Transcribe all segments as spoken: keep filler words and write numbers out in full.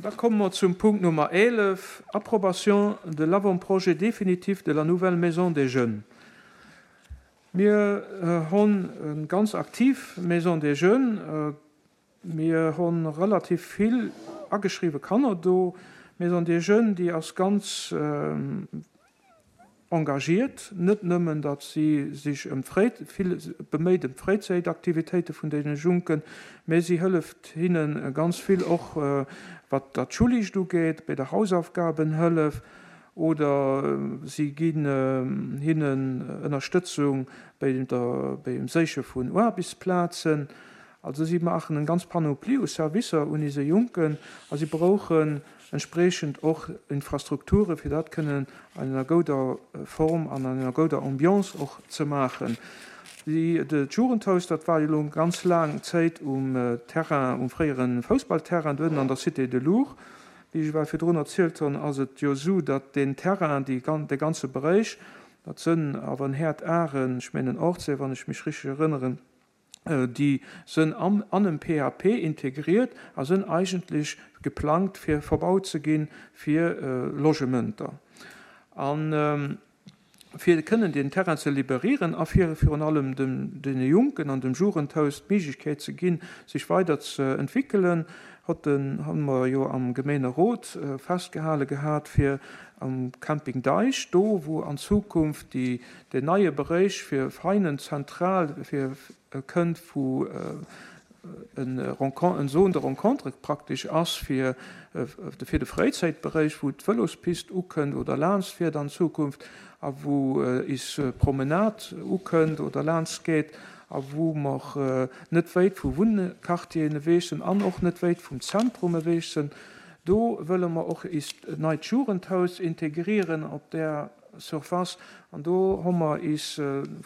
Da komme mer zum Punkt Nummer eelef, Approbation de l'avant-projet définitif de la nouvelle maison des jeunes. Mir hunn eng ganz aktiv Maison des jeunes. Mir hu relativ vill ageschriwwe Kanner do. D'Maison des jeunes, déi ass ganz engagiert, net nëmmen, datt si sech ëm vill beméit ëm d'Fréizäitaktivitéite vun deene Junken, mä si hëlleft hinne ganz vill och wat dat Schullecht ugeet, bei der Hausaufgabenhëllef, oder si ginn hinnen Ënnerstëtzung bei der, beim Séiche vun Aarbechtsplazen. Also si maachen eng ganz Panoplie u Servicer un ise Junken a si brauchen entspriechend och Infrastrukture fir dat kënnen an enger gouder Form an an enger gouder Ambiance och ze maachen. D'Jugendhaus, dat war jo elo ganz laang Zäit um Terrain, um fréiere Foussballterrain do ënnen an der Cité de Lourdes. Wéi ech ewell virdrun erzielt hunn, ass et jo esou, datt deen Terrain, dee ganze Beréich, dat sënn awer en Häert Aren, ech mengen Ortsee, wann ech mech richteg erënneren, déi sënn an en P A P integriert a sënn eigentlech geplangt fir verbaut ze ginn fir Logementer. An fir kënnen deen Terrain ze liberieren a fir virun allem deene Jonken an dem Jugendhaus d'Méiglechkeet ze ginn, sech weider ze entwéckelen, hott den, hu mer jo am Gemeenerot festgehale gehat, fir am Camping Deich, do wou an Zukunft déi, deen neie Beréich fir feinen zentral fir kënnt, wou en zone de rencontre praktesch ass fir fir de Fréizäitberéich, wou d'Vëlospist ukënnt oder laanscht fiert an Zukunft a wou is Promenade ukënnt oder laanscht geet a wou mer net wéit vu Wunnquartieren ewech sinn an och net wéit vum Zentrum ewech sinn. Do wëlle mer och ist neit Jugendhaus integrieren op där Surface an do hu mer is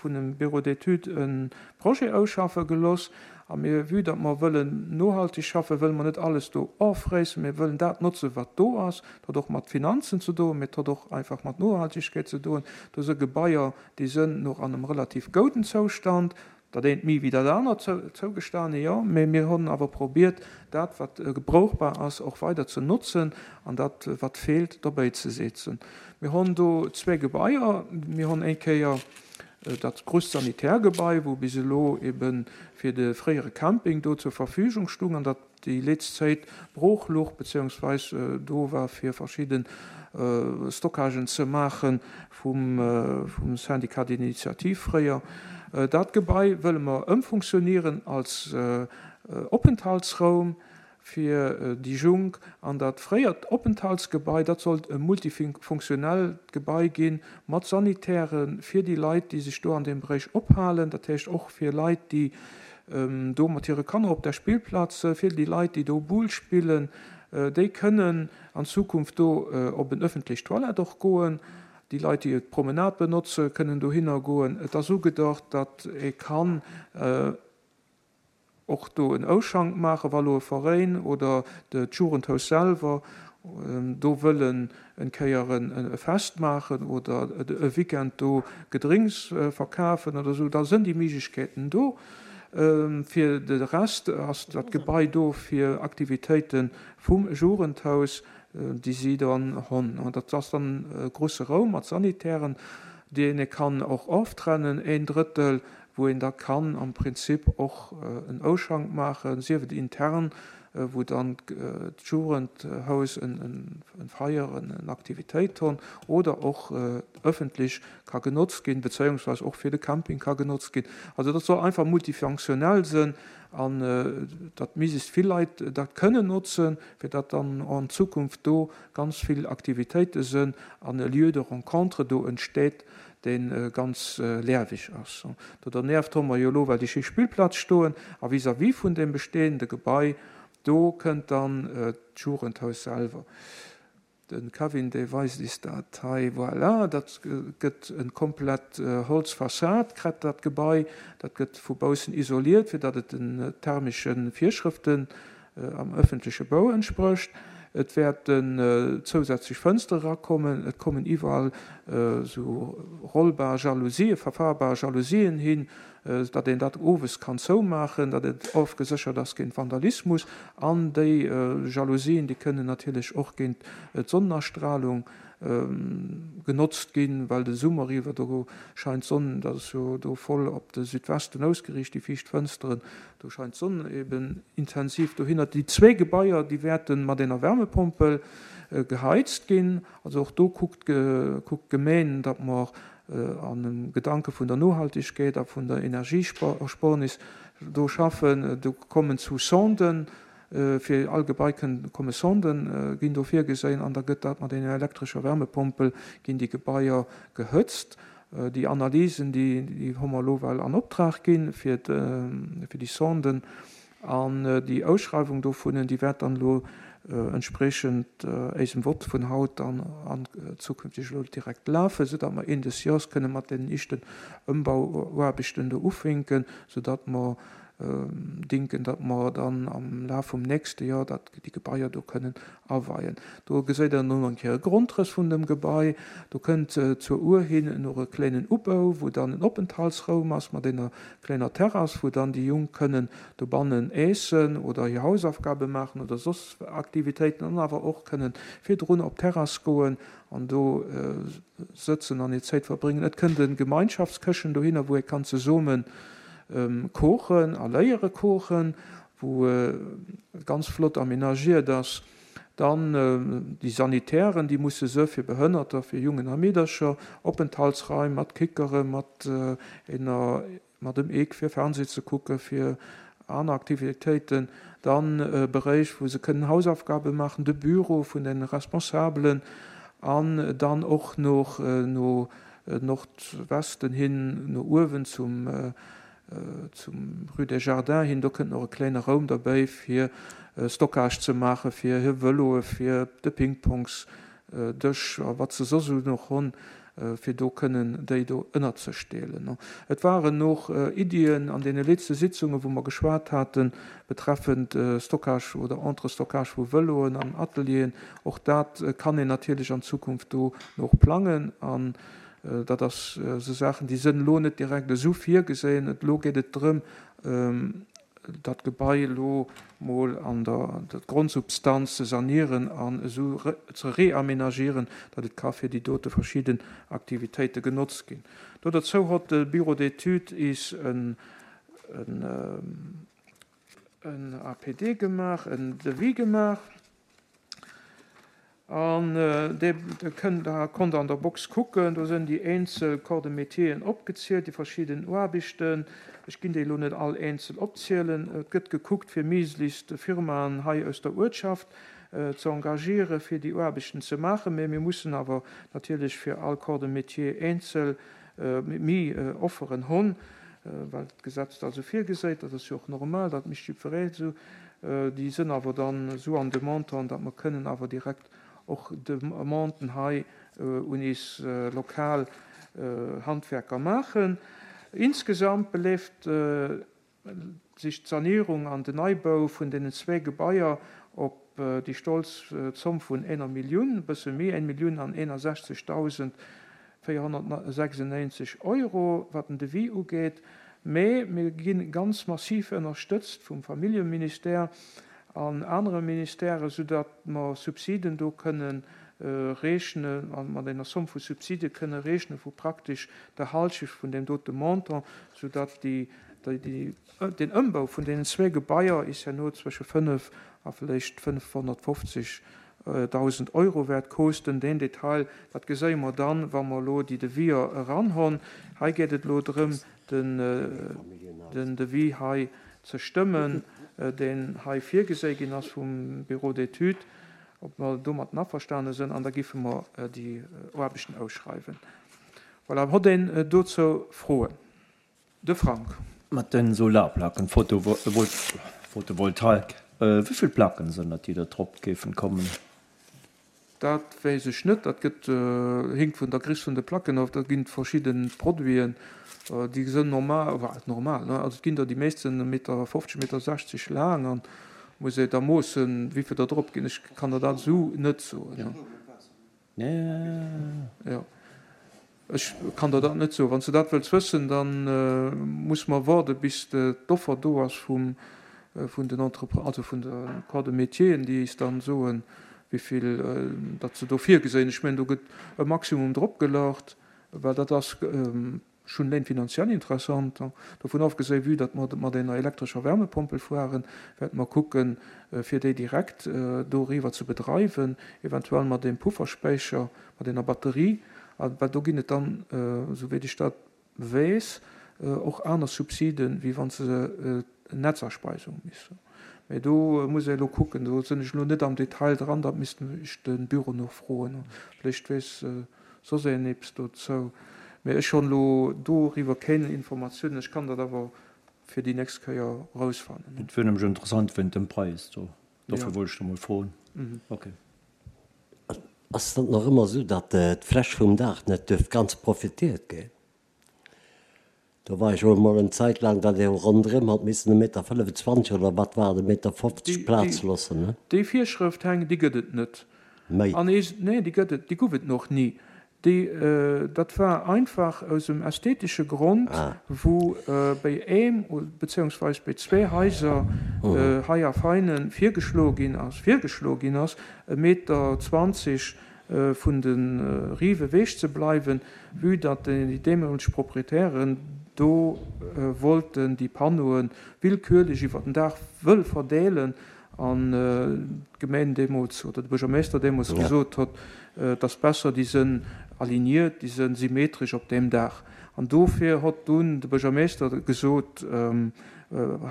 vun dem Bureau d'études e Projet ausschaffe gelooss. A mir, vue datt mer wëllen nohalteg schaffen, wëlle mer net alles do ofréissen, mir wëllen dat notzen, wat do ass. Dat huet och mat Finanzen ze doen, mee et huet och einfach mat Nohaltegkeet ze doen. Do si Gebaier, déi sënn nach an engem relativ gouden Zoustand, dat eent méi wéi dat anert, zougestane, jo, mee mir hunn awer probiert, dat, wat gebrauchbar ass, och weider ze notzen an dat, wat feelt, dobäi ze setzen. Mir hunn do zwee Gebaier. Mir hunn eng Kéier dat grousst Sanitärgebai, wou bis elo ebe fir de fréiere Camping do zur Verfügung stung an dat déi letzt Zäit brooch louch beziehungsweis do war fir verschidde Stockagen ze maache vum Syndicat d'initiative fréier. Dat Gebai wëlle mer ëmfunktionieren als Openthaltsraum fir déi Junk. An dat fréiert Openthaltsgebai, dat sollt e multifunktionellt Gebai gi mat Sanitäre fir déi Leit, déi sech do an deem Beréich ophalen, dat heescht och fir Leit, déi do mat hire Kanner op der Spillplaz, fir déi Leit, déi do Boule spillen, déi kënnen an Zukunft do op en ëffentlech Toilette och goen. Déi Leit, déi d'Promenade benotze, kënnen dohinner goen. Et ass ugedacht, datt ee kann och do en Auschank maachen, wa lo e Veräin oder d'Jugendhaus selwer do wëllen en Kéier e Fest maachen oder e Weekend do Gedrénks verkafen oder esou, da sënn déi Méiglechkeeten do. Fir de Rest ass dat Gebai do fir Aktivitéite vum Jugendhaus, déi si dann hunn. Dat ass dann e grouse Raum mat Sanitären, deen ee kann och oftrennen, een Drëttel, wou een da kann am Prinzip och en Auschank maachen, sief et intern, wou dann d'Jugendhaus en Feier, en Aktivitéit hunn, oder och ëffentlech ka genotzt ginn, bezéiungsweis och fir de Camping ka genotzt ginn. Also dat soll einfach multifunktionell sinn an datt méiglechst vill Leit dat kënnen notzen, fir datt dann an Zukunft do ganz vill Aktivitéite sinn an e Lieu de rencontre do entsteet, dee ganz lieweg ass. Do dernieft hu mer jo elo well déi schéi Spillplaz stoen a vis-à-vis vun deem bestehende Gebai, do kënnt dann d'Jugendhaus selwer. De Kevin, dee weist is dat hei, voilà, dat gëtt en komplett Holzfassad kritt dat Gebai, dat gëtt vu baussen isoliert, fir datt et den thermesche Virschrëften am ëffentleche Bau entsprécht. Et wäerten zousätzlech Fënstere erakommen, et kommen iwwerall esou rollbar Jalousien, verfahrbar Jalousien hin, datt een dat owes kann zoumaachen, datt et ofgeséchert ass géint Vandalismus. An déi Jalousien, déi kënnen natierlech och géint d'Sonnenastrahlung genotzt ginn, well de Summer iwwer do scheint d'Sonn, dat ass jo do voll op de Südwesten ausgeriicht, déi viischt Fënsteren, do scheint d'Sonn eben intensiv dohinner. Déi zwee Gebaier, déi wäerte mat enger Wärmepompel geheizt ginn. Also och do kuckt kuckt d'Gemeng, datt mer an dem Gedanke vun der Nohaltegkeet a vun der Energiesparnis do schaffen. Do kommen zu Sonden, fir all Gebai komme Sonden, ginn do virgeséien an da gëtt dat mat enger elektrescher Wärmepompel ginn déi Gebaier gehëtzt. Déi Analysen, déi déi hu mer elo well an Optrag ginn fir fir déi Sonden an déi Ausschreiwung dovunnen, déi wäert dann elo entspriechend éisem Vott vun haut dann an zukünfteg elo direkt lafen, soudatt mer Enn des Jahres kënne mat deenen éischten Ëmbauaarbechten do ufänken, soudatt mer denken, datt mer dann am Laf vum nächste Joer dat déi Gebaier do kënnen aweien. Do geséit Der dann och eng Kéier e Grondrëss vun dem Gebai. Do kënnt zur Our hin och e kléinen Ubau, wou dann en Openthaltsraum ass mat enger kleiner Terrass, wou dann déi Jonk kënnen dobannen äessen oder hir Hausaufgabe maachen oder soss Aktivitéiten an awer och kënnen virdrun op d'Terrass goen an do sëtzen an hir Zäit verbréngen. Et kënnt e Gemeinschaftskëchen dohinner, wou ee kann zesumme koochen a léiere koochen, wou ganz flott aménagiert ass. Dann déi Sanitären, déi musse se fir Behënnerter, fir Jungen a Meedercher, Openthaltsraim mat Kickere, mat ener, mat dem Eek fir Fernseh ze kucke, fir aner Aktivitéiten. Dann e Beréich, wou se kënnen Hausaufgabe maachen, de Büro vun den Responsabelen an dann och noch no Nordwesten hin, no uewen zum zum Rue des Jardins hin, do kënnt nach e klenge Raum derbäi fir Stockage ze maache fir hir Vëloe, fir de Pingpongsdësch a wat se soss esou nach hunn, fir do kënnen déi do ënnerzestellen. Et waren och Iddien an deene letzte Sitzungen, wou mer geschwat haten, betreffend Stockage oder Entrestockage vu Vëloen an Atelieren. Och dat kann een natierlech an Zukunft do nach plangen an dat ass esou Saachen, déi sënn elo net direkt esou virgesinn. Elo geet et drëm, dat Gebai elo mol an der Grondsubstanz ze sanieren an esou ze reaménagieren, datt et ka fir déi dote verschidden Aktivitéite genotzt ginn. Do dozou hott de Bureau d'études is en en A P D gemaach, en Devis gemaach. An dee kënnt, da konnt der an der Box kucken, do sënn déi eenzel Corps de métieren opgezielt, déi verschidden Aarbechten. Ech ginn déi elo net all eenzel opzielen. Et gëtt gekuckt, fir méiglechst Firmaen hei aus der Uertschaft ze engagieren, fir déi Aarbechten ze maachen. Mä mir mussen awer natierlech fir all Corps de métier eenzel méi Offeren hunn, well d'Gesetz dat esou virgeséit. Dat ass jo och normal, dat mécht jiddweree esou. Déi sënn awer dann esou an de Montant, datt mer kënnen awer direkt och Demanden hei un is lokal Handwerker maachen. Insgesamt beleeft sech d'Sanierung an den Neibau vun deenen zwee Gebaier op déi stolz Zomm vun enger Millioun, e bësse méi, eng Millioun an eenundsechzegdausend véierhonnertsechsundneunzeg Euro, wat den Devis ugeet. Mee mir gi ganz massiv ënnerstëtzt vum Familljeministère an anere Ministèren, soudatt mer Subsiden do kënnen rechnen, mat enger Somme vu Subside kënne rechnen vu praktesch der Halschecht vun deem dote Montant, soudatt déi, déi, den Ëmbau vun deenen zwee Gebaier is herno zwësche fënnef a vläicht fënnfhonnertfofzegdausend Euro wäert kosten. Deen Detail, dat geséie mer dann, wa mer elo déi Deviser eranhonn. Hei geet et elo drëm, den, den Devis hei ze stëmmen, deen hei virgeséi ginn ass vum Bureau d'études, ob mer domat averstane sënn, an da giffe mer déi Aarbechten ausschreiwen. Voilà, hott een dozou Froen? De Frank. Mat den Solarplacken, Photovoltaik, wéi vill Placken sënn dat, déi da drop géifen kommen? Dat weess ech net, dat gëtt, hinkt vun der Gréisst vun de Placken of. Dat ginn verschidde Produiten, déi sënn normal, normal, ne, also et ginn der déi meescht sënn e Meter fofzeg, Meter sechzeg laang an muss ee da moossen, wéi vill der drop ginn. Ech kann der dat esou net soen. Ja. Ja. Ech kann der dat net soen. Wann s de dat wëlls wëssen, da muss mer waarde bis d'Offer do ass vum, vun den Entrepre-, also vun de Corps de métieren, déi is dann soen, wéivill datt se do virgesinn. Ech mengen, do gëtt e Maximum dropgelaucht, well dat ass schonn eleng finanziell interessant. Dovun ofgesinn, vue datt mer mat enger elektrescher Wärmepompel fueren, wäerte mer kucken, fir déi direkt doriwwer ze bedreiwen, eventuell mat deem Pufferspeicher, mat enger Batterie. Well do ginn et dann, esouwéit ech dat weess, och aner Subsiden, wéi wann se Netzaspeisung missten. Mä do muss ee elo kucken, do sinn ech elo net am Detail dran, dat misst ech de Büro nach froen. Vläicht weess soss een eppes dozou. Mä ech hunn elo doriwwer keng Informatiounen. Ech kann dat awer fir déi nächst Kéier erausfannen. Et wier nämlech interessant wéint dem Präis do. Dofir wollt ech da mol froen. Ok. Ass dat nach ëmmer esou, datt d'Fläch vum Daach net duerf ganz profitiert ginn? Do war ech och emol eng Zäit laang, datt ee ronderëm hat missen e Meter fënnefenzwanzeg oder wat war et, e Meter fofzeg Plaz loossen, ne? Déi Virschrëft, Heng, déi gëtt et net. Méi. An ee, nee, déi gëtt et, déi gouf et noch ni. Déi, dat war einfach aus em ästhetesche Grond, wou béi eem beziehungsweis béi zwee Haiser hei a Veinen virgeschloe ginn ass, virgeschloe ginn ass, e Meter zwanzeg vun de Rive ewech ze bleiwen, vue datt déi deemoleg Proprietären do wollten déi Panneaue willkürlech iwwer den Daach wëll verdeelen an d'Gemeng deemools oder de Buergermeeschter deemools gesot hott, et ass besser, déi sënn aligniert, déi sënn symmetresch op deem Daach. An dofir hott dunn de Buergermeeschter gesot,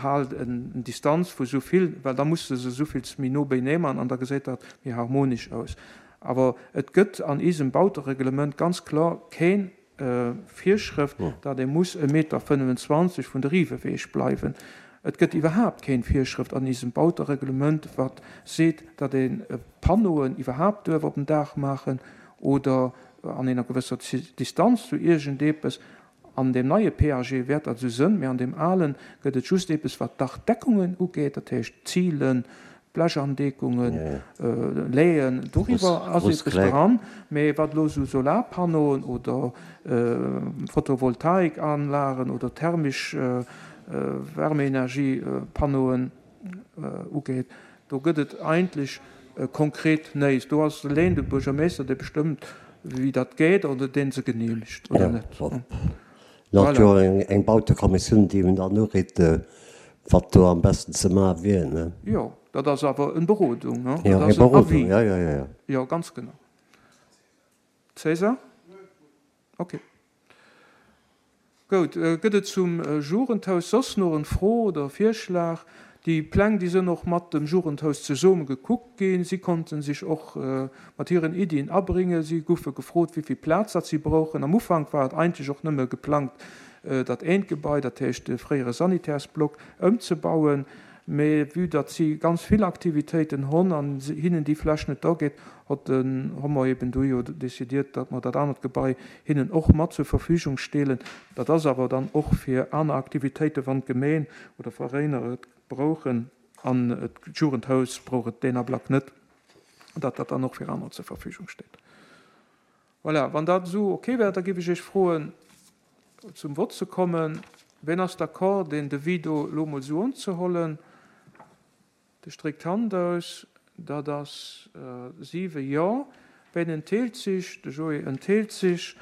Haalt en Distanz vu sou vill, well da muss de se souvill méi no beinee man an da geséit dat méi harmonesch aus. Awer et gëtt an isem Bautereglement ganz kloer keen Virschrëft, datt ee muss e Meter fënnefenzwanzeg vun de Rive ewech bleiwen. Et gëtt iwwerhaapt keen Virschrëft an isem Bautereglement, wat seet, datt ee Panneauen iwwerhaapt duerf op den Daach maachen oder an enger gewësser Distanz zu iergendepes. An deem neie P A G wäert dat esou sënn, mee an deem alen gëtt et just eppes, wat d'Dachdeckungen ugeet, dat heescht d'Zilen, Blechandeckungen, Léien, doriwwer ass eppes dran. Mee wat elo esou Solarpanneauen oder Photovoltaikanlagen oder thermesch Wärmeenergiepanneauen ugeet, do gëtt et eigentlech konkret néist. Do ass eleng de Buergermeeschter, dee bestëmmt, wéi dat geet oder dee se geneemegt oder net. Et ass jo eng Bautekommissioun, déi en dann uritt, wat do am besten ze maache wier, ne? Jo, dat ass awer eng Berodung, ne? Jo, Dat eng ass en Berodung, Avis. jo, jo, jo, jo. Jo, ganz genau. César? Okay. Goud. Gëtt et zum Jugendhaus soss nach en Fro oder Virschlag? Déi Pläng, déi sënn och mat dem Jugendhaus zesumme gekuckt ginn. Si konnten sech och mat hiren Iddien abringe. Si goufe gefrot, wéi vill Plaz dat si brauchen. Am Ufank war et eigentlech och nëmme geplangt, dat eent Gebai, dat heescht de fréiere Sanitärsblock, ëmzebauen. Mee vue datt si ganz vill Aktivitéiten honn an hinnen déi Fläch net dageet, hott den, hu mer eben du jo décidiert, datt mer dat anert Gebai hinnen och mat zur Verfügung steelen. Dat ass awer dann och fir aner Aktivitéiten, wann d'Gemeen oder Veräiner et brauchen an d'Jugendhaus brauch et deen Ablack net, datt dat dann och fir aner zur Verfügung steet. Voilà, wann dat esou ok wär, da géif ech Iech froen, zum Vott ze kommen. Wien ass d'accord, deen Devis do elo emol esou unzehollen? De stréckt d'Hand aus. Dat ass siwe Jo. Wien enthélt sech? De Joé enthélt sech.